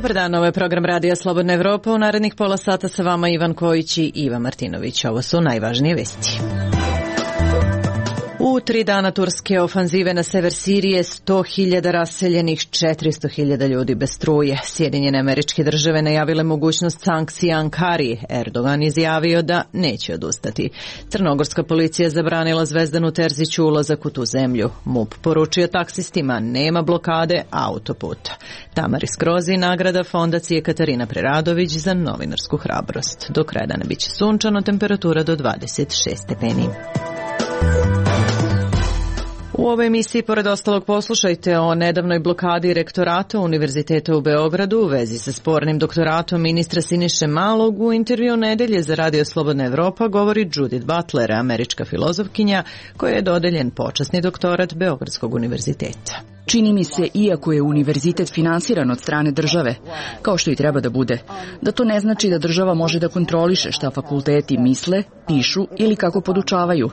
Dobar dan, ovo je program Radija Slobodna Evropa. U narednih pola sata sa vama Ivan Kojić i Iva Martinović. Ovo su najvažnije vesti. U 3 dana turske ofanzive na sever Sirije 100.000 raseljenih, 400.000 ljudi bez struje. Sjedinjene Američke Države najavile mogućnost sankcija Ankari. Erdogan izjavio da neće odustati. Crnogorska policija zabranila Zvezdanu Terziću ulazak u tu zemlju. MUP poručio taksistima nema blokade autoputa. Tamari Skrozi nagrada Fondacije Katarina Preradović za novinarsku hrabrost. Do kraja dana biće sunčano, temperatura do 26 stepeni. U ovoj emisiji, pored ostalog, poslušajte o nedavnoj blokadi rektorata Univerziteta u Beogradu u vezi sa spornim doktoratom ministra Siniše Malog. U intervju nedelje za Radio Slobodna Evropa govori Judith Butler, američka filozofkinja koja je dodeljen počasni doktorat Beogradskog univerziteta. Čini mi se, iako je univerzitet finansiran od strane države, kao što i treba da bude, da to ne znači da država može da kontroliše šta fakulteti misle, pišu ili kako podučavaju.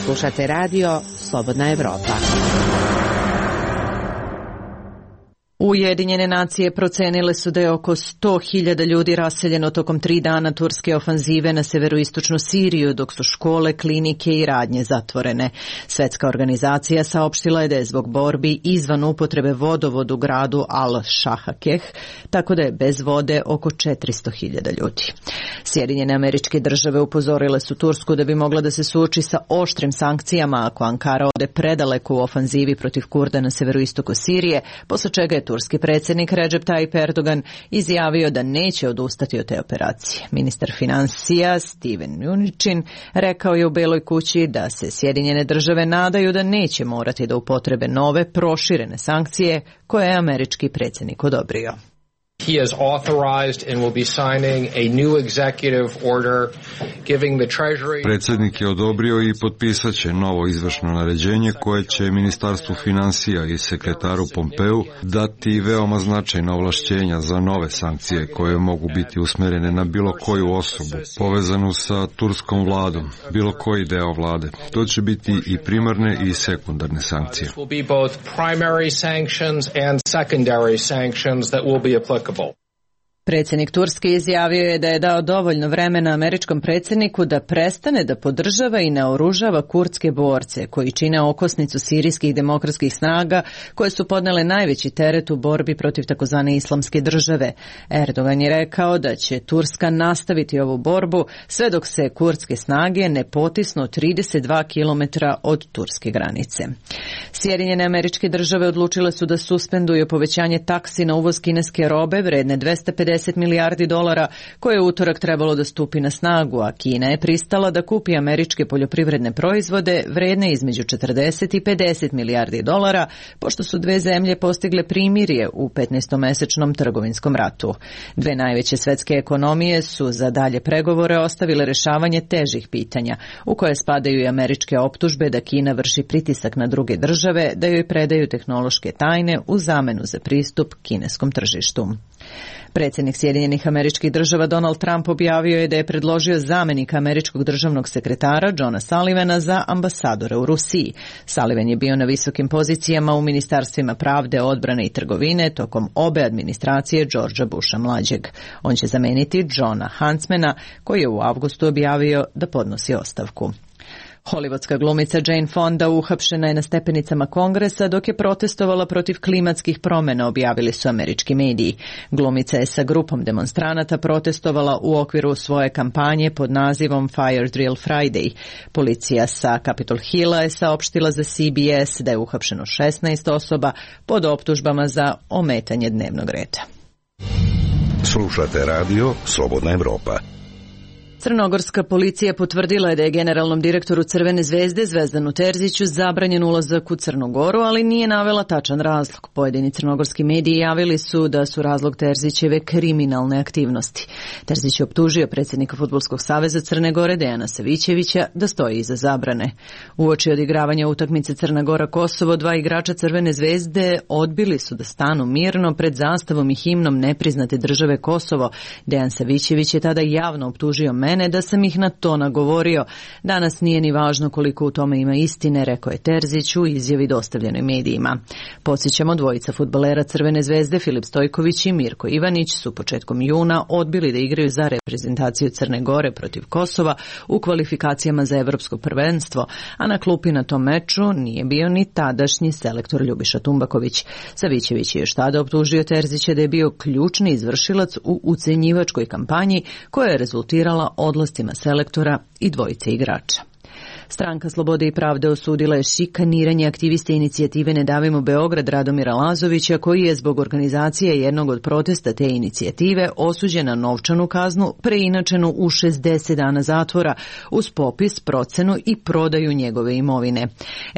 Slušate radio Slobodna Evropa. Ujedinjene nacije procenile su da je oko 100.000 ljudi raseljeno tokom 3 dana turske ofanzive na severoistočnu Siriju, dok su škole, klinike i radnje zatvorene. Svetska organizacija saopštila je da je zbog borbi izvan upotrebe vodovod u gradu Al-Shahakeh, tako da je bez vode oko 400.000 ljudi. Sjedinjene Američke Države upozorile su Tursku da bi mogla da se suoči sa oštrim sankcijama ako Ankara ode predaleko u ofanzivi protiv Kurda na severoistoku Sirije, posle čega je turski predsjednik Recep Tayyip Erdogan izjavio da neće odustati od te operacije. Ministar financija Steven Mnuchin rekao je u Beloj kući da se Sjedinjene Države nadaju da neće morati da upotrebe nove proširene sankcije koje je američki predsjednik odobrio. He has authorized and will be signing a new executive order giving the Treasury. Predsjednik je odobrio i potpisat će novo izvršno naređenje koje će Ministarstvu financija i sekretaru Pompeu dati veoma značajna ovlašćenja za nove sankcije koje mogu biti usmjerene na bilo koju osobu povezanu sa turskom vladom, bilo koji deo vlade. To će biti i primarne i sekundarne sankcije. Will be both primary sanctions and secondary sanctions that will be applicable. Predsjednik Turske izjavio je da je dao dovoljno vremena američkom predsjedniku da prestane da podržava i naoružava kurdske borce koji čine okosnicu sirijskih demokratskih snaga koje su podnele najveći teret u borbi protiv takozvane islamske države. Erdogan je rekao da će Turska nastaviti ovu borbu sve dok se kurdske snage ne potisnu 32 kilometra od turske granice. Sjedinjene Američke Države odlučile su da suspenduju povećanje taksi na uvoz kineske robe vredne $250 milijardi koje je utorak trebalo da stupi na snagu, a Kina je pristala da kupi američke poljoprivredne proizvode vredne između 40 i 50 milijardi dolara, pošto su dve zemlje postigle primirje u 15-mesečnom trgovinskom ratu. Dve najveće svetske ekonomije su za dalje pregovore ostavile rešavanje težih pitanja, u koje spadaju i američke optužbe da Kina vrši pritisak na druge države da joj predaju tehnološke tajne u zamenu za pristup kineskom tržištu. Predsjednik Sjedinjenih Američkih Država Donald Trump objavio je da je predložio zamenika američkog državnog sekretara Johna Sullivana za ambasadora u Rusiji. Sullivan je bio na visokim pozicijama u ministarstvima pravde, odbrane i trgovine tokom obe administracije Georgea Busha mlađeg. On će zameniti Johna Huntsmana koji je u avgustu objavio da podnosi ostavku. Hollywoodska glumica Jane Fonda uhapšena je na stepenicama Kongresa dok je protestovala protiv klimatskih promjena, objavili su američki mediji. Glumica je sa grupom demonstranata protestovala u okviru svoje kampanje pod nazivom Fire Drill Friday. Policija sa Capitol Hilla je saopštila za CBS da je uhapšeno 16 osoba pod optužbama za ometanje dnevnog reda. Slušate radio Slobodna Evropa. Crnogorska policija potvrdila je da je generalnom direktoru Crvene zvezde Zvezdanu Terziću zabranjen ulazak u Crnu Goru, ali nije navela tačan razlog. Pojedini crnogorski mediji javili su da su razlog Terzićeve kriminalne aktivnosti. Terzić je optužio predsjednika Fudbalskog saveza Crne Gore Dejana Savićevića da stoji iza zabrane. Uoči odigravanja utakmice Crna Gora-Kosovo, 2 igrača Crvene zvezde odbili su da stanu mirno pred zastavom i himnom nepriznate države Kosovo. Dejan Savićević je tada javno optužio mene da sam ih na to nagovorio. Danas nije ni važno koliko u tome ima istine, rekao je Terzić u izjavi dostavljenoj medijima. Podsjećamo, dvojica fudbalera Crvene zvezde, Filip Stojković i Mirko Ivanić, su početkom juna odbili da igraju za reprezentaciju Crne Gore protiv Kosova u kvalifikacijama za evropsko prvenstvo, a na klupi na tom meču nije bio ni tadašnji selektor Ljubiša Tumbaković. Savićević je još tada optužio Terzića da je bio ključni izvršilac u ucenjivačkoj kampanji koja je rezultirala odlascima selektora i dvojice igrača. Stranka Slobode i pravde osudila je šikaniranje aktiviste inicijative Ne davimo Beograd Radomira Lazovića, koji je zbog organizacije jednog od protesta te inicijative osuđen na novčanu kaznu preinačenu u 60 dana zatvora uz popis, procenu i prodaju njegove imovine.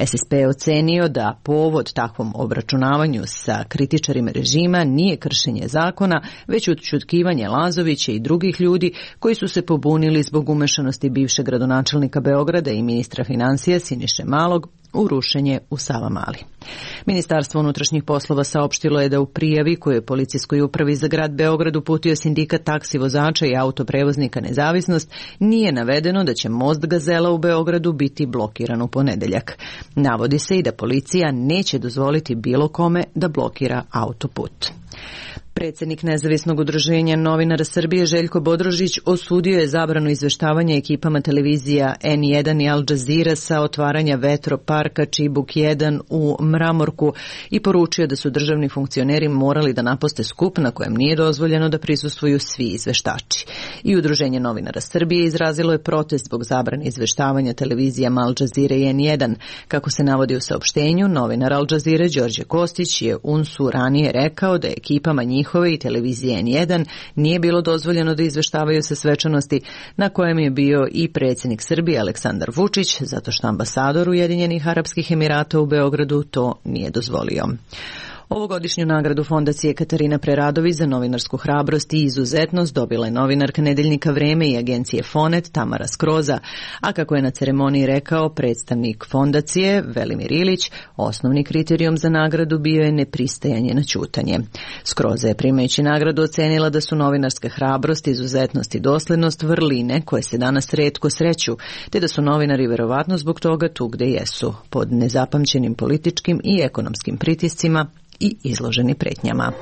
SSP je ocenio da povod takvom obračunavanju sa kritičarima režima nije kršenje zakona, već ućutkivanje Lazovića i drugih ljudi koji su se pobunili zbog umešanosti bivšeg gradonačelnika Beograda i ministra financija Siniše Malog u rušenje u Savamali. Ministarstvo unutrašnjih poslova saopštilo je da u prijavi koju je policijskoj upravi za grad Beograd uputio sindikat taksi vozača i autoprevoznika Nezavisnost nije navedeno da će most Gazela u Beogradu biti blokiran u ponedeljak. Navodi se i da policija neće dozvoliti bilo kome da blokira autoput. Predsjednik Nezavisnog udruženja novinara Srbije Željko Bodrožić osudio je zabranu izveštavanja ekipama televizija N1 i Al Jazeera sa otvaranja vetroparka Čibuk 1 u Mramorku i poručio da su državni funkcioneri morali da napuste skup na kojem nije dozvoljeno da prisustvuju svi izveštači. I Udruženje novinara Srbije izrazilo je protest zbog zabrane izveštavanja televizijama Al Jazeera i N1. Kako se navodi u saopštenju, novinar Al Jazeera Đorđe Kostić je UNS-u ranije rekao da ekipama njihove i televizije N1 nije bilo dozvoljeno da izveštavaju sa svečanosti na kojem je bio i predsjednik Srbije Aleksandar Vučić, zato što ambasador Ujedinjenih Arapskih Emirata u Beogradu to nije dozvolio. Ovogodišnju nagradu Fondacije Katarina Preradović za novinarsku hrabrost i izuzetnost dobila je novinarka nedeljnika Vreme i agencije Fonet Tamara Skroza, a kako je na ceremoniji rekao predstavnik fondacije Velimir Ilić, osnovni kriterijum za nagradu bio je nepristajanje na ćutanje. Skroza je primajući nagradu ocenila da su novinarska hrabrost, izuzetnost i doslednost vrline koje se danas retko sreću, te da su novinari verovatno zbog toga tu gde jesu, pod nezapamćenim političkim i ekonomskim pritiscima i izloženi pretnjama.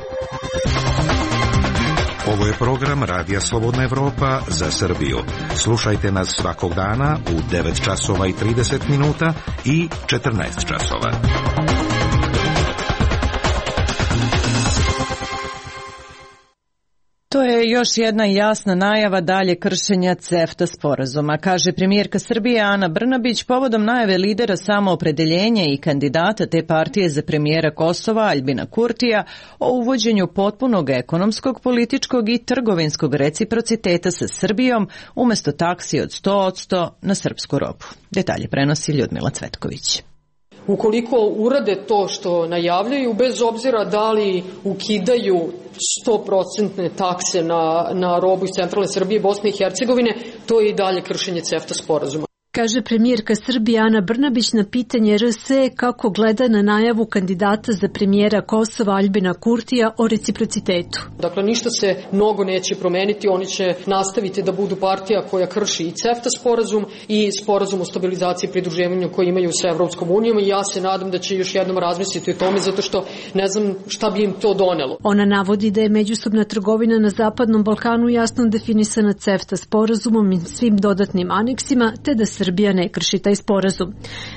Ovo je program Radija Slobodna Evropa za Srbiju. Slušajte nas svakog dana u 9 časova i 30 minuta i 14 časova. To je još jedna jasna najava dalje kršenja CEFTA sporazuma, kaže premijerka Srbije Ana Brnabić povodom najave lidera samoopredeljenja i kandidata te partije za premijera Kosova Aljbina Kurtija o uvođenju potpunog ekonomskog, političkog i trgovinskog reciprociteta sa Srbijom umjesto taksi od 100% na srpsku robu. Detalje prenosi Ljudmila Cvetković. Ukoliko urade to što najavljaju, bez obzira da li ukidaju 100% takse na robu iz centralne Srbije i Bosne i Hercegovine, to je i dalje kršenje CEFTA sporazuma. Kaže premijerka Srbije Ana Brnabić na pitanje RS kako gleda na najavu kandidata za premijera Kosova Aljbina Kurtija o reciprocitetu. Dakle, ništa se mnogo neće promeniti, oni će nastaviti da budu partija koja krši i CEFTA sporazum i sporazum o stabilizaciji i pridruživanju koji imaju sa Evropskom unijom i ja se nadam da će još jednom razmisliti o tome zato što ne znam šta bi im to donelo. Ona navodi da je međusobna trgovina na Zapadnom Balkanu jasno definisana CEFTA sporazumom i svim dodatnim aneksima, te da Srbija ne krši taj sporazum.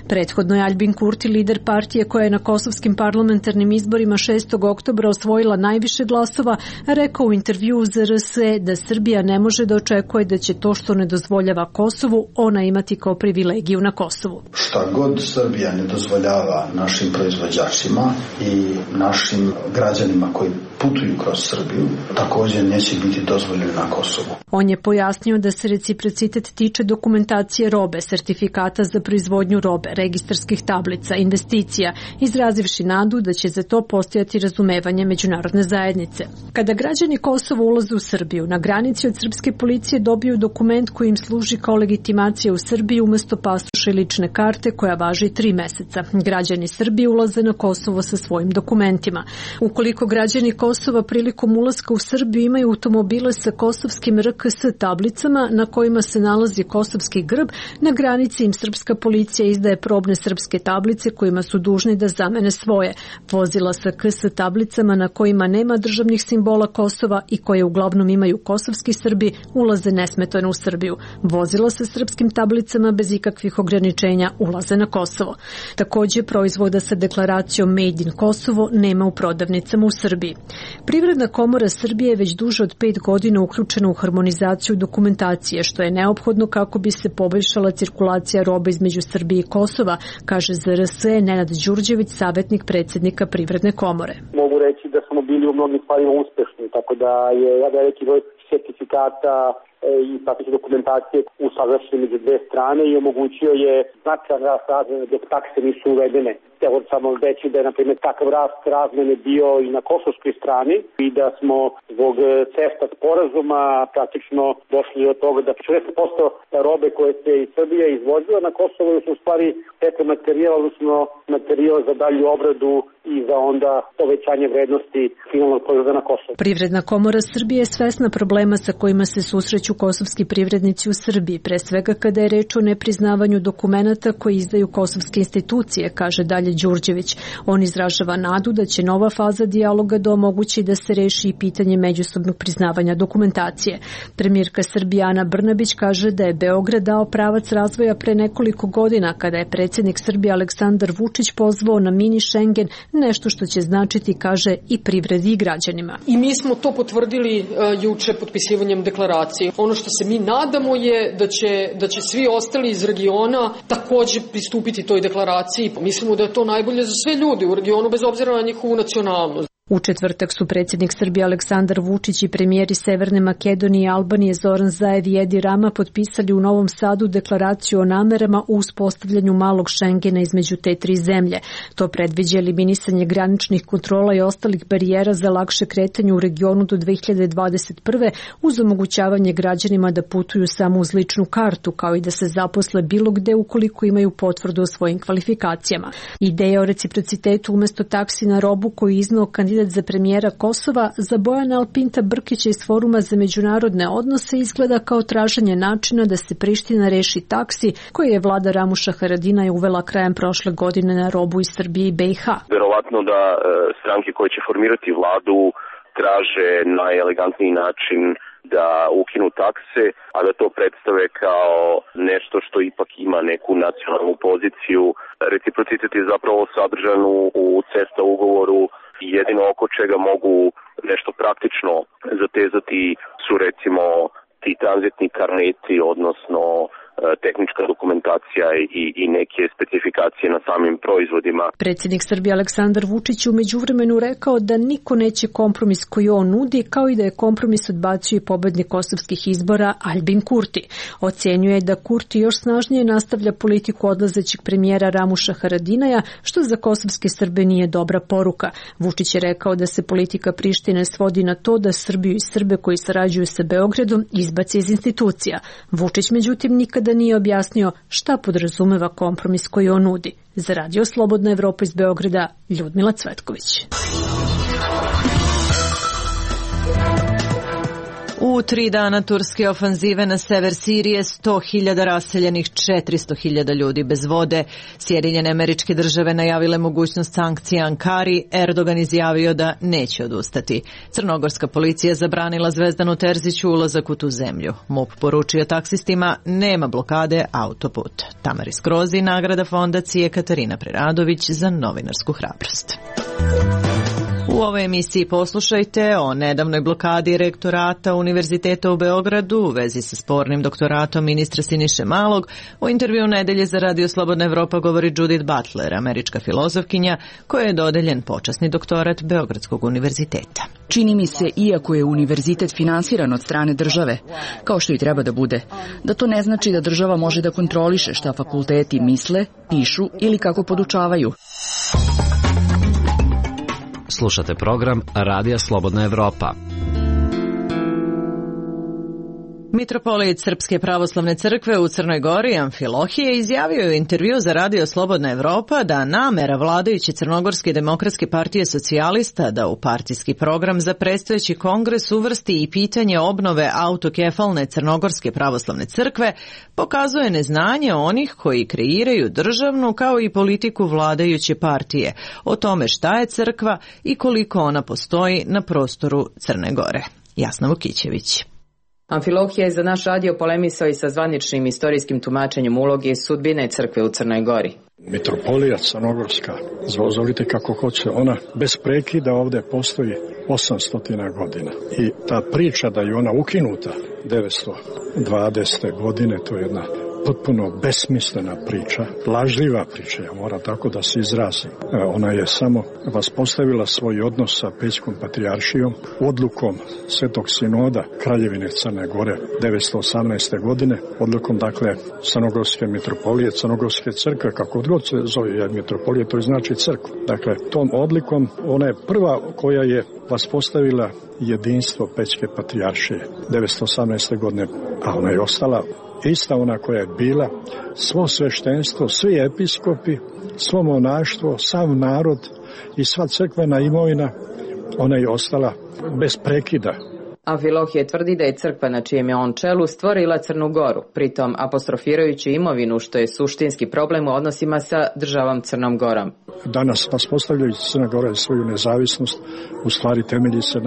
Prethodno je Aljbin Kurti, lider partije koja je na kosovskim parlamentarnim izborima 6. oktobra osvojila najviše glasova, rekao u intervjuu za RS da Srbija ne može da očekuje da će to što ne dozvoljava Kosovu ona imati kao privilegiju na Kosovu. Šta god Srbija ne dozvoljava našim proizvođačima i našim građanima koji putuju kroz Srbiju, također neće biti dozvoljeno na Kosovu. On je pojasnio da se reciprocitet tiče dokumentacije robe. robe, sertifikata za proizvodnju robe, registarskih tablica, investicija, izrazivši nadu da će za to postojati razumevanje međunarodne zajednice. Kada građani Kosova ulaze u Srbiju, na granici od srpske policije dobiju dokument koji im služi kao legitimacija u Srbiji umesto pasoša i lične karte koja važi 3 meseca. Građani Srbije ulaze na Kosovo sa svojim dokumentima. Ukoliko građani Kosova prilikom ulaska u Srbiju imaju automobile sa kosovskim RKS tablicama na kojima se nalazi kosovski grb, na granici im srpska policija izdaje probne srpske tablice kojima su dužni da zamene svoje. Vozila sa KS tablicama na kojima nema državnih simbola Kosova i koje uglavnom imaju kosovski Srbi ulaze nesmetano u Srbiju. Vozila sa srpskim tablicama bez ikakvih ograničenja ulaze na Kosovo. Takođe, proizvoda sa deklaracijom Made in Kosovo nema u prodavnicama u Srbiji. Privredna komora Srbije je već duže od 5 godina uključena u harmonizaciju dokumentacije, što je neophodno kako bi se poboljšala cirkulacija robe između Srbije i Kosova, kaže ZRS Nenad Đurđević, savjetnik predsjednika Privredne komore. Mogu reći da smo bili u mnogim stvarima uspešni, tako da je veliki broj sertifikata i prateće dokumentacije usaglašene među dve strane i omogućio je značajan rast razmene dok takse nisu uvedene. Evo samo reći da je, na primjer, takav rast razmene bio i na kosovskoj strani i da smo zbog CEFTA sporazuma praktično došli od toga da 40% robe koje se iz Srbije izvozila na Kosovo su u stvari materijal, odnosno materijal za dalju obradu i za onda povećanje vrednosti finalnog proizvoda na Kosovo. Privredna komora Srbije je svesna problema sa kojima se susreću kosovski privrednici u Srbiji, pre svega kada je reč o nepriznavanju dokumenata koji izdaju kosovske institucije, kaže dalje Đurđević. On izražava nadu da će nova faza dijaloga da omogući da se reši i pitanje međusobnog priznavanja dokumentacije. Premijerka Srbije Ana Brnabić kaže da je Beograd dao pravac razvoja pre nekoliko godina kada je predsjednik Srbije Aleksandar Vučić pozvao na mini Schengen, nešto što će značiti, kaže, i privredi i građanima. I mi smo to potvrdili juče potpisivanjem deklaracije. Ono što se mi nadamo je da će svi ostali iz regiona takođe pristupiti toj deklaraciji. Mislimo da je to najbolje za sve ljude u regionu bez obzira na njihovu nacionalnost. U četvrtak su predsjednik Srbije Aleksandar Vučić i premijeri Severne Makedonije i Albanije Zoran Zaev i Edi Rama potpisali u Novom Sadu deklaraciju o namerama u uspostavljanju malog Šengena između te 3 zemlje. To predviđa eliminisanje graničnih kontrola i ostalih barijera za lakše kretanje u regionu do 2021. uz omogućavanje građanima da putuju samo uz ličnu kartu, kao i da se zaposle bilo gde ukoliko imaju potvrdu o svojim kvalifikacijama. Ideja o reciprocitetu umesto taksi na robu koju iznao kandidat za premijera Kosova za Bojana Alpinta Brkića iz Foruma za međunarodne odnose izgleda kao traženje načina da se Priština reši taksi koje je vlada Ramuša Haradinaja uvela krajem prošle godine na robu iz Srbije i BiH. Verovatno da stranke koje će formirati vladu traže najelegantniji način da ukinu takse, a da to predstave kao nešto što ipak ima neku nacionalnu poziciju. Reciprocitet je zapravo sadržan u CEFTA ugovoru i jedino oko čega mogu nešto praktično zatezati su recimo ti tranzitni karneti, odnosno tehnička dokumentacija i neke specifikacije na samim proizvodima. Predsjednik Srbije Aleksandar Vučić u međuvremenu rekao da niko neće kompromis koji on nudi, kao i da je kompromis odbacio i pobednik kosovskih izbora Aljbin Kurti. Ocenjuje da Kurti još snažnije nastavlja politiku odlazećeg premijera Ramuša Haradinaja, što za kosovske Srbe nije dobra poruka. Vučić je rekao da se politika Prištine svodi na to da Srbiju i Srbe koji sarađuju sa Beogradom izbaci iz institucija. Vučić međutim nikada da nije objasnio šta podrazumeva kompromis koji on nudi. Za Radio Slobodna Evropa iz Beograda, Ljudmila Cvetković. U 3 dana turske ofanzive na sever Sirije 100.000 raseljenih, 400.000 ljudi bez vode. Sjedinjene Američke Države najavile mogućnost sankcija Ankari, Erdogan izjavio da neće odustati. Crnogorska policija zabranila Zvezdanu Terziću ulazak u tu zemlju. MUP poručio taksistima nema blokade autoputa. Tamari Skrozi, nagrada fondacije Katarina Preradović za novinarsku hrabrost. U ovoj emisiji poslušajte o nedavnoj blokadi rektorata Univerziteta u Beogradu u vezi sa spornim doktoratom ministra Siniše Malog. U intervju nedelje za Radio Slobodna Evropa govori Judith Butler, američka filozofkinja, kojoj je dodeljen počasni doktorat Beogradskog univerziteta. Čini mi se, iako je univerzitet finansiran od strane države, kao što i treba da bude, da to ne znači da država može da kontroliše šta fakulteti misle, pišu ili kako podučavaju. Slušate program Radija Slobodna Evropa. Mitropolit Srpske pravoslavne crkve u Crnoj Gori Amfilohije izjavio je u intervju za Radio Slobodna Evropa da namera vladajuće Crnogorske demokratske partije socijalista da u partijski program za predstojeći kongres uvrsti i pitanje obnove autokefalne Crnogorske pravoslavne crkve pokazuje neznanje onih koji kreiraju državnu kao i politiku vladajuće partije o tome šta je crkva i koliko ona postoji na prostoru Crne Gore. Jasna Vukićević. Amfilohije je za naš radio polemisao i sa zvaničnim istorijskim tumačenjem uloge i sudbine crkve u Crnoj Gori. Mitropolija Crnogorska, zovite kako hoće, ona bez prekida ovdje postoji 800 godina. I ta priča da je ona ukinuta 920. godine, to je jedna potpuno besmislena priča, lažljiva priča, ja moram tako da se izrazim. Ona je samo vaspostavila svoj odnos sa Pećkom patrijaršijom odlukom Svetog sinoda Kraljevine Crne Gore 918. godine, odlukom dakle Crnogorske mitropolije, Crnogorske crkve, kako god se zove mitropolije, to znači crkva. Dakle, tom odlikom ona je prva koja je vaspostavila jedinstvo Pećke patrijaršije 918. godine, a ona je ostala ista ona koja je bila, svo sveštenstvo, svi episkopi, svo monaštvo, sav narod i sva crkvena imovina, ona je ostala bez prekida. Amfilohije tvrdi da je crkva na čijem je on čelu stvorila Crnu Goru, pritom apostrofirajući imovinu, što je suštinski problem u odnosima sa državom Crnom Gorom. Danas vaspostavljajući Crna Gora svoju nezavisnost, u stvari temelji se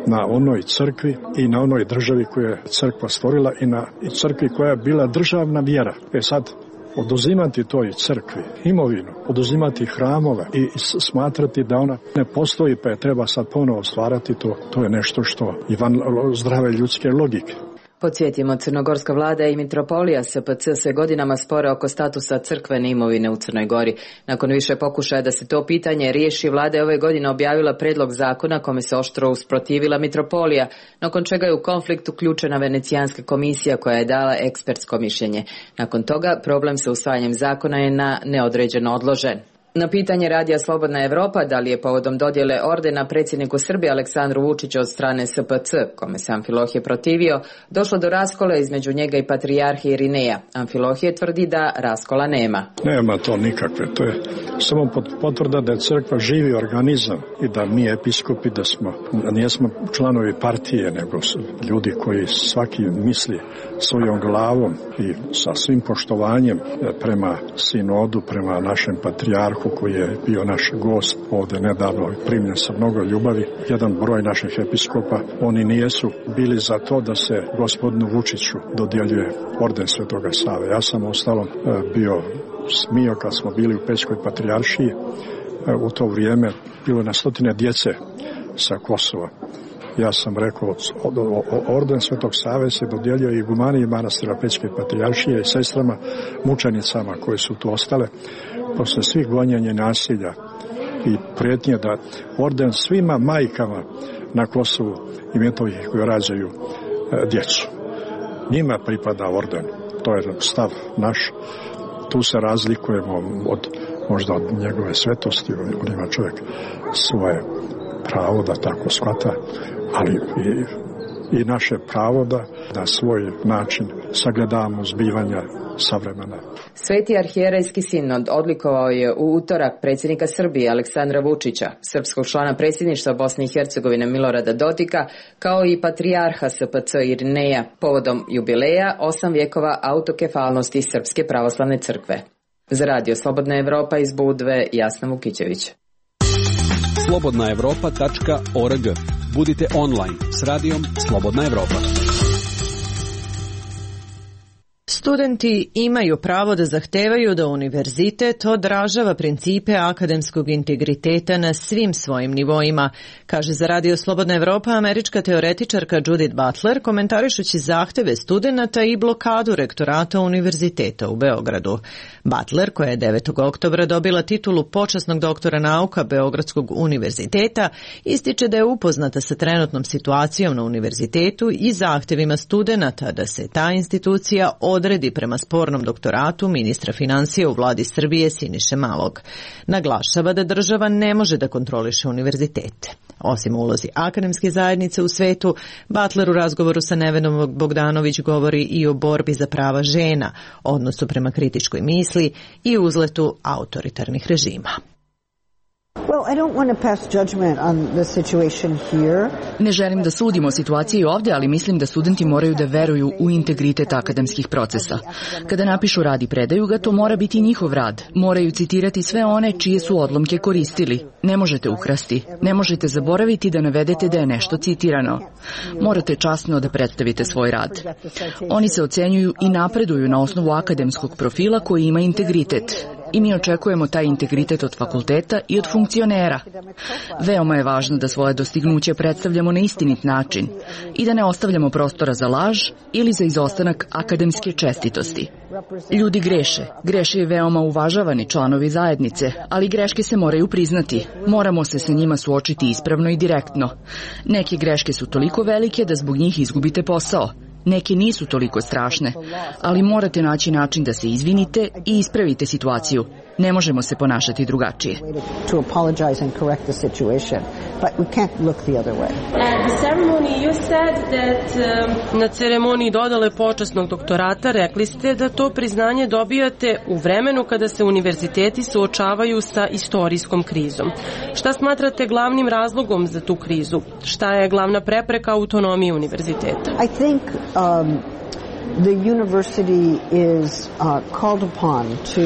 na onoj crkvi i na onoj državi koju je crkva stvorila i na crkvi koja je bila državna vjera. Sad, oduzimati toj crkvi imovinu, oduzimati hramove i smatrati da ona ne postoji pa je treba sad ponovo stvarati, to je nešto što je van zdrave ljudske logike. Podsjetimo, crnogorska vlada i mitropolija SPC se godinama spore oko statusa crkvene imovine u Crnoj Gori. Nakon više pokušaja da se to pitanje riješi, vlada je ove godine objavila predlog zakona kome se oštro usprotivila mitropolija, nakon čega je u konflikt uključena Venecijanska komisija koja je dala ekspertsko mišljenje. Nakon toga problem sa usvajanjem zakona je na neodređeno odložen. Na pitanje Radija Slobodna Evropa da li je povodom dodjele ordena predsjedniku Srbije Aleksandru Vučiću od strane SPC, kome se Amfilohije protivio, došlo do raskola između njega i patrijarhije Irineja. Amfilohije tvrdi da raskola nema. Nema to nikakve, to je samo potvrda da je crkva živi organizam i da mi episkopi da nijesmo članovi partije, nego ljudi koji svaki misli svojom glavom i sa svim poštovanjem prema sinodu, prema našem patrijarhu koji je bio naš gost ovdje nedavno, primljen sa mnogo ljubavi. Jedan broj naših episkopa, oni nijesu bili za to da se gospodinu Vučiću dodjeljuje orden Svetoga Save. Ja sam ostalom bio smio kad smo bili u Pećkoj patrijaršiji. U to vrijeme bilo na stotine djece sa Kosova. Ja sam rekao, orden Svetog Save se dodjeljio i igumaniji manastira Pećke patrijaršije i sestrama mučenicama koje su tu ostale posle svih gonjenja nasilja i prijetnje da orden svima majkama na Kosovu i Metohiji koji rađaju djecu. Njima pripada orden. To je stav naš. Tu se razlikujemo možda od njegove svetosti. On ima čovjek svoje pravo da tako shvata, ali i naše pravo da na svoj način sagledavamo zbivanja savremena. Sveti arhijerejski sinod odlikovao je u utorak predsjednika Srbije Aleksandra Vučića, srpskog člana predsjedništva Bosne i Hercegovine Milorada Dodika, kao i patrijarha SPC Irineja, povodom jubileja 8 vjekova autokefalnosti Srpske pravoslavne crkve. Za Radio Slobodna Evropa iz Budve, Jasna Vukićević. slobodnaevropa.org. Budite online s radijom Slobodna Evropa. Studenti imaju pravo da zahtevaju da univerzitet odražava principe akademskog integriteta na svim svojim nivoima, kaže za Radio Slobodna Evropa američka teoretičarka Judith Butler, komentarišući zahteve studenata i blokadu rektorata univerziteta u Beogradu. Butler, koja je 9. oktobra dobila titulu počasnog doktora nauka Beogradskog univerziteta, ističe da je upoznata sa trenutnom situacijom na univerzitetu i zahtevima studenata da se ta institucija odredi prema spornom doktoratu ministra finansija u vladi Srbije Siniše Malog. Naglašava da država ne može da kontroliše univerzitete. Osim ulozi akademske zajednice u svetu, Butler u razgovoru sa Nevenom Bogdanović govori i o borbi za prava žena, odnosu prema kritičkoj misli i uzletu autoritarnih režima. Ne želim da sudim o situaciji ovdje, ali mislim da studenti moraju da veruju u integritet akademskih procesa. Kada napišu rad i predaju ga, to mora biti njihov rad. Moraju citirati sve one čije su odlomke koristili. Ne možete ukrasti. Ne možete zaboraviti da navedete da je nešto citirano. Morate časno da predstavite svoj rad. Oni se ocenjuju i napreduju na osnovu akademskog profila koji ima integritet. I mi očekujemo taj integritet od fakulteta i od funkcionera. Veoma je važno da svoje dostignuće predstavljamo na istinit način i da ne ostavljamo prostora za laž ili za izostanak akademske čestitosti. Ljudi greše. Greše i veoma uvažavani članovi zajednice, ali greške se moraju priznati. Moramo se sa njima suočiti ispravno i direktno. Neke greške su toliko velike da zbog njih izgubite posao. Neke nisu toliko strašne, ali morate naći način da se izvinite i ispravite situaciju. Ne možemo se ponašati drugačije. Na ceremoniji dodale počasnog doktorata rekli ste da to priznanje dobijate u vremenu kada se univerziteti suočavaju sa istorijskom krizom. Šta smatrate glavnim razlogom za tu krizu? Šta je glavna prepreka autonomiji univerziteta? The university is called upon to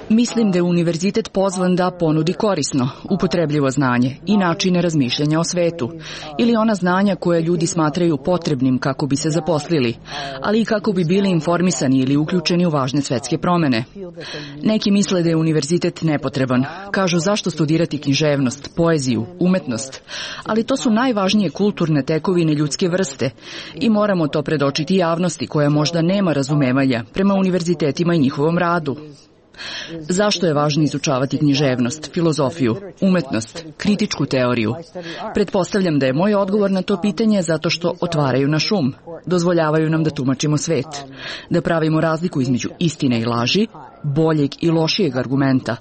Mislim da je univerzitet pozvan da ponudi korisno, upotrebljivo znanje i načine razmišljanja o svetu, ili ona znanja koje ljudi smatraju potrebnim kako bi se zaposlili, ali i kako bi bili informisani ili uključeni u važne svetske promene. Neki misle da je univerzitet nepotreban, kažu zašto studirati književnost, poeziju, umetnost, ali to su najvažnije kulturne tekovine ljudske vrste i moramo to predočiti javnosti koja možda nema razumevanja prema univerzitetima i njihovom radu. Zašto je važno izučavati književnost, filozofiju, umetnost, kritičku teoriju? Pretpostavljam da je moj odgovor na to pitanje zato što otvaraju naš um, dozvoljavaju nam da tumačimo svet, da pravimo razliku između istine i laži, boljeg i lošijeg argumenta,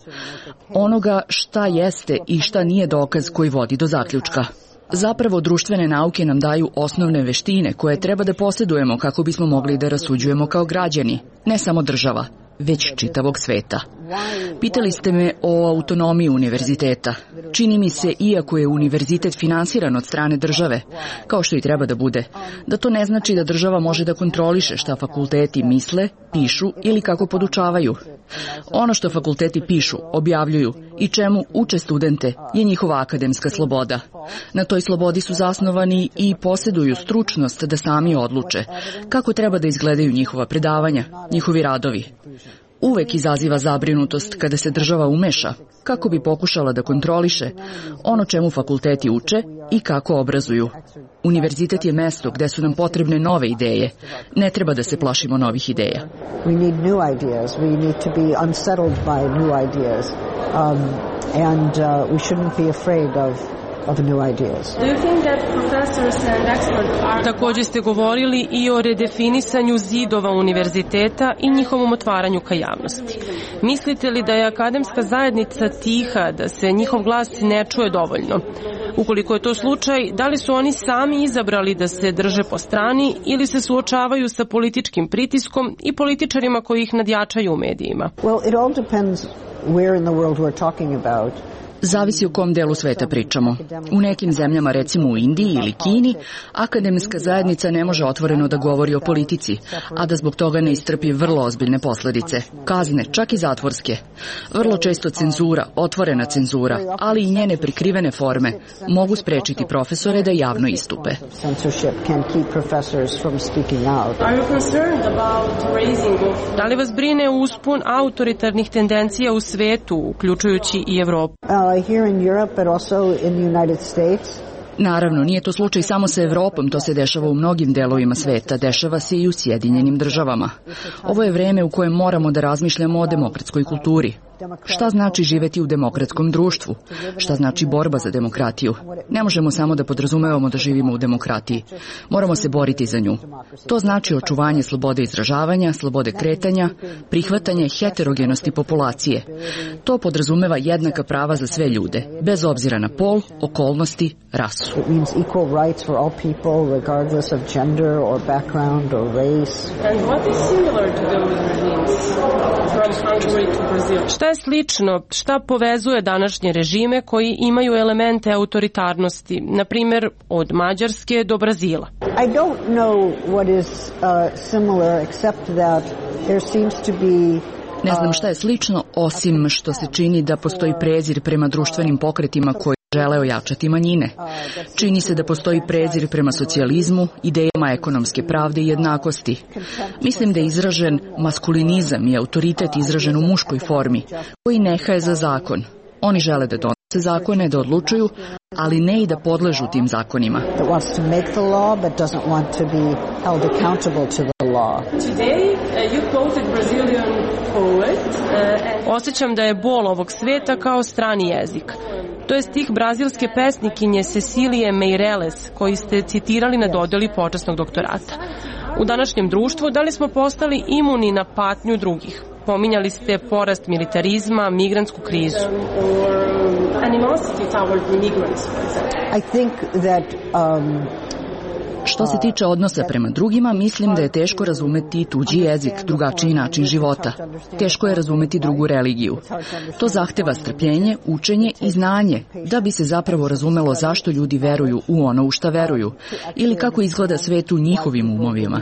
onoga šta jeste i šta nije dokaz koji vodi do zaključka. Zapravo, društvene nauke nam daju osnovne veštine koje treba da posjedujemo kako bismo mogli da rasuđujemo kao građani, ne samo država, već čitavog sveta. Pitali ste me o autonomiji univerziteta. Čini mi se, iako je univerzitet finansiran od strane države, kao što i treba da bude, da to ne znači da država može da kontroliše šta fakulteti misle, pišu ili kako podučavaju. Ono što fakulteti pišu, objavljuju i čemu uče studente je njihova akademska sloboda. Na toj slobodi su zasnovani i posjeduju stručnost da sami odluče kako treba da izgledaju njihova predavanja, njihovi radovi. Uvek izaziva zabrinutost kada se država umeša, kako bi pokušala da kontroliše ono čemu fakulteti uče i kako obrazuju. Univerzitet je mesto gde su nam potrebne nove ideje. Ne treba da se plašimo novih ideja. We need new ideas. We need to be unsettled by new ideas. And we shouldn't be afraid of new ideas. Također ste govorili i o redefinisanju zidova univerziteta i njihovom otvaranju ka javnosti. Mislite li da je akademska zajednica tiha, da se njihov glas ne čuje dovoljno? Ukoliko je to slučaj, da li su oni sami izabrali da se drže po strani ili se suočavaju sa političkim pritiskom i političarima koji ih nadjačaju u medijima? Well, it all depends where in the world we're talking about. Zavisi o kom delu sveta pričamo. U nekim zemljama, recimo u Indiji ili Kini, akademska zajednica ne može otvoreno da govori o politici, a da zbog toga ne istrpi vrlo ozbiljne posledice. Kazne, čak i zatvorske. Vrlo često cenzura, otvorena cenzura, ali i njene prikrivene forme mogu sprečiti profesore da javno istupe. Da li vas brine uspon autoritarnih tendencija u svetu, uključujući i Evropu? Naravno, nije to slučaj samo sa Evropom, to se dešava u mnogim delovima sveta, dešava se i u Sjedinjenim državama. Ovo je vreme u kojem moramo da razmišljamo o demokratskoj kulturi. Šta znači živeti u demokratskom društvu? Šta znači borba za demokratiju? Ne možemo samo da podrazumevamo da živimo u demokratiji. Moramo se boriti za nju. To znači očuvanje slobode izražavanja, slobode kretanja, prihvatanje heterogenosti populacije. To podrazumeva jednaka prava za sve ljude, bez obzira na pol, okolnosti, rasu. Šta je slično, šta povezuje današnje režime koji imaju elemente autoritarnosti, na primjer od Mađarske do Brazila? I don't know what is similar except that there seems to be Ne znam šta je slično, osim što se čini da postoji prezir prema društvenim pokretima koji žele ojačati manjine. Čini se da postoji prezir prema socijalizmu, idejama ekonomske pravde i jednakosti. Mislim da je izražen maskulinizam i autoritet izražen u muškoj formi, koji nehaje za zakon. Oni žele da donose zakone, da odlučuju, ali ne i da podležu tim zakonima. Osjećam da je bol ovog sveta kao strani jezik. To je stih brazilske pesnikinje Cecilije Meireles, koji ste citirali na dodeli počasnog doktorata. U današnjem društvu, da li smo postali imuni na patnju drugih? Pominjali ste porast militarizma, migrantsku krizu. I think that Što se tiče odnosa prema drugima, mislim da je teško razumeti tuđi jezik, drugačiji način života. Teško je razumeti drugu religiju. To zahteva strpljenje, učenje i znanje, da bi se zapravo razumelo zašto ljudi veruju u ono u šta veruju, ili kako izgleda svet u njihovim umovima.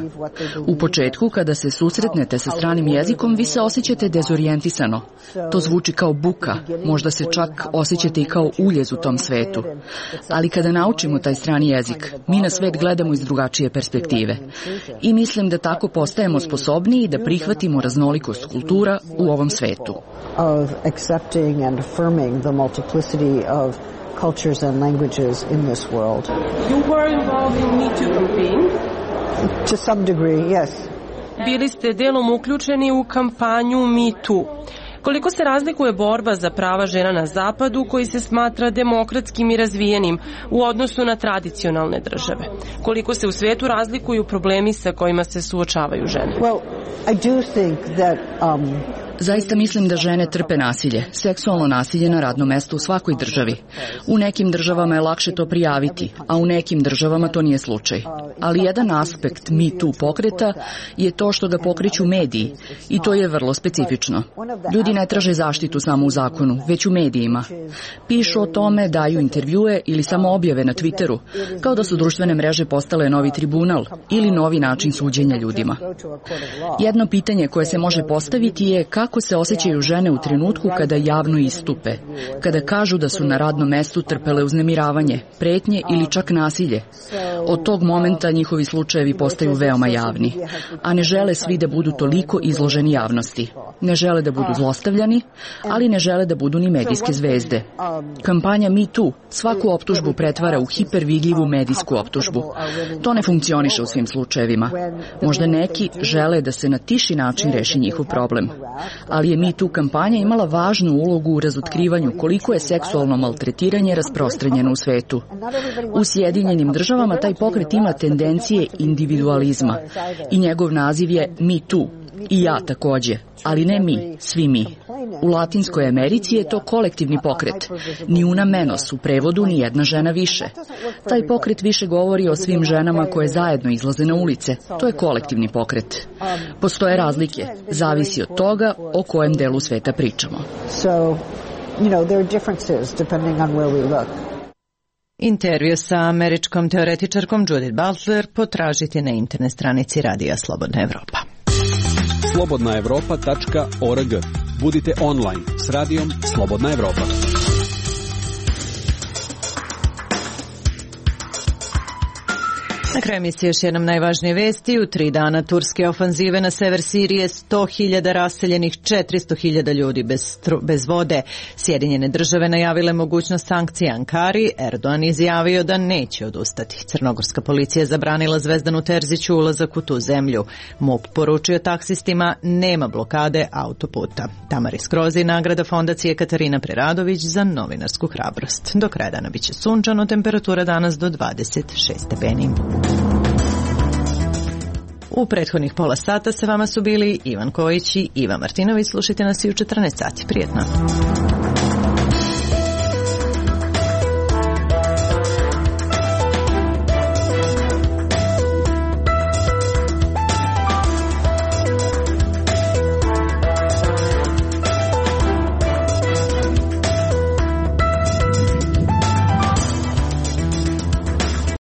U početku, kada se susretnete sa stranim jezikom, vi se osjećate dezorijentisano. To zvuči kao buka, možda se čak osjećate i kao uljez u tom svetu. Ali kada naučimo taj strani jezik, mi na svet gledamo iz drugačije perspektive. I mislim da tako postajemo sposobniji da prihvatimo raznolikost kultura u ovom svetu. To some degree, yes. Bili ste delom uključeni u kampanju Me Too. Koliko se razlikuje borba za prava žena na zapadu, koji se smatra demokratskim i razvijenim, u odnosu na tradicionalne države? Koliko se u svetu razlikuju problemi sa kojima se suočavaju žene? Well, I do think that Zaista mislim da žene trpe nasilje, seksualno nasilje na radnom mestu u svakoj državi. U nekim državama je lakše to prijaviti, a u nekim državama to nije slučaj. Ali jedan aspekt Me Too pokreta je to što ga pokreću mediji i to je vrlo specifično. Ljudi ne traže zaštitu samo u zakonu, već u medijima. Pišu o tome, daju intervjue ili samo objave na Twitteru, kao da su društvene mreže postale novi tribunal ili novi način suđenja ljudima. Jedno pitanje koje se može postaviti je kako se osjećaju žene u trenutku kada javno istupe, kada kažu da su na radnom mestu trpele uznemiravanje, pretnje ili čak nasilje. Od tog momenta njihovi slučajevi postaju veoma javni, a ne žele svi da budu toliko izloženi javnosti. Ne žele da budu zlostavljani, ali ne žele da budu ni medijske zvezde. Kampanja Me Too svaku optužbu pretvara u hipervidljivu medijsku optužbu. To ne funkcioniše u svim slučajevima. Možda neki žele da se na tiši način reši njihov problem. Ali je Me Too kampanja imala važnu ulogu u razotkrivanju koliko je seksualno maltretiranje rasprostranjeno u svetu. U Sjedinjenim državama taj pokret ima tendencije individualizma i njegov naziv je Me Too. I ja takođe, ali ne mi, svi mi. U Latinskoj Americi je to kolektivni pokret. Ni una menos, u prevodu ni jedna žena više. Taj pokret više govori o svim ženama koje zajedno izlaze na ulice. To je kolektivni pokret. Postoje razlike, zavisi od toga o kojem delu sveta pričamo. there are differences depending on where we look. Intervju sa američkom teoretičarkom Judith Butler potražite na internet stranici Radija Slobodna Evropa. slobodnaevropa.org. Budite online s Radijom Slobodna Evropa. Na kraju emisije još jednom najvažnije vesti. U 3 dana turske ofanzive na sever Sirije 100.000 raseljenih, 400.000 ljudi bez vode. Sjedinjene države najavile mogućnost sankcija Ankari. Erdogan izjavio da neće odustati. Crnogorska policija zabranila Zvezdanu Terziću ulazak u tu zemlju. MUP poručio taksistima nema blokade autoputa. Tamari Skrozi nagrada fondacije Katarina Preradović za novinarsku hrabrost. Do kraja dana biće sunčano, temperatura danas do 26 stepeni. U prethodnih pola sata sa vama su bili Ivan Kojić i Iva Martinović. Slušajte nas i u 14 sati. Prijetno.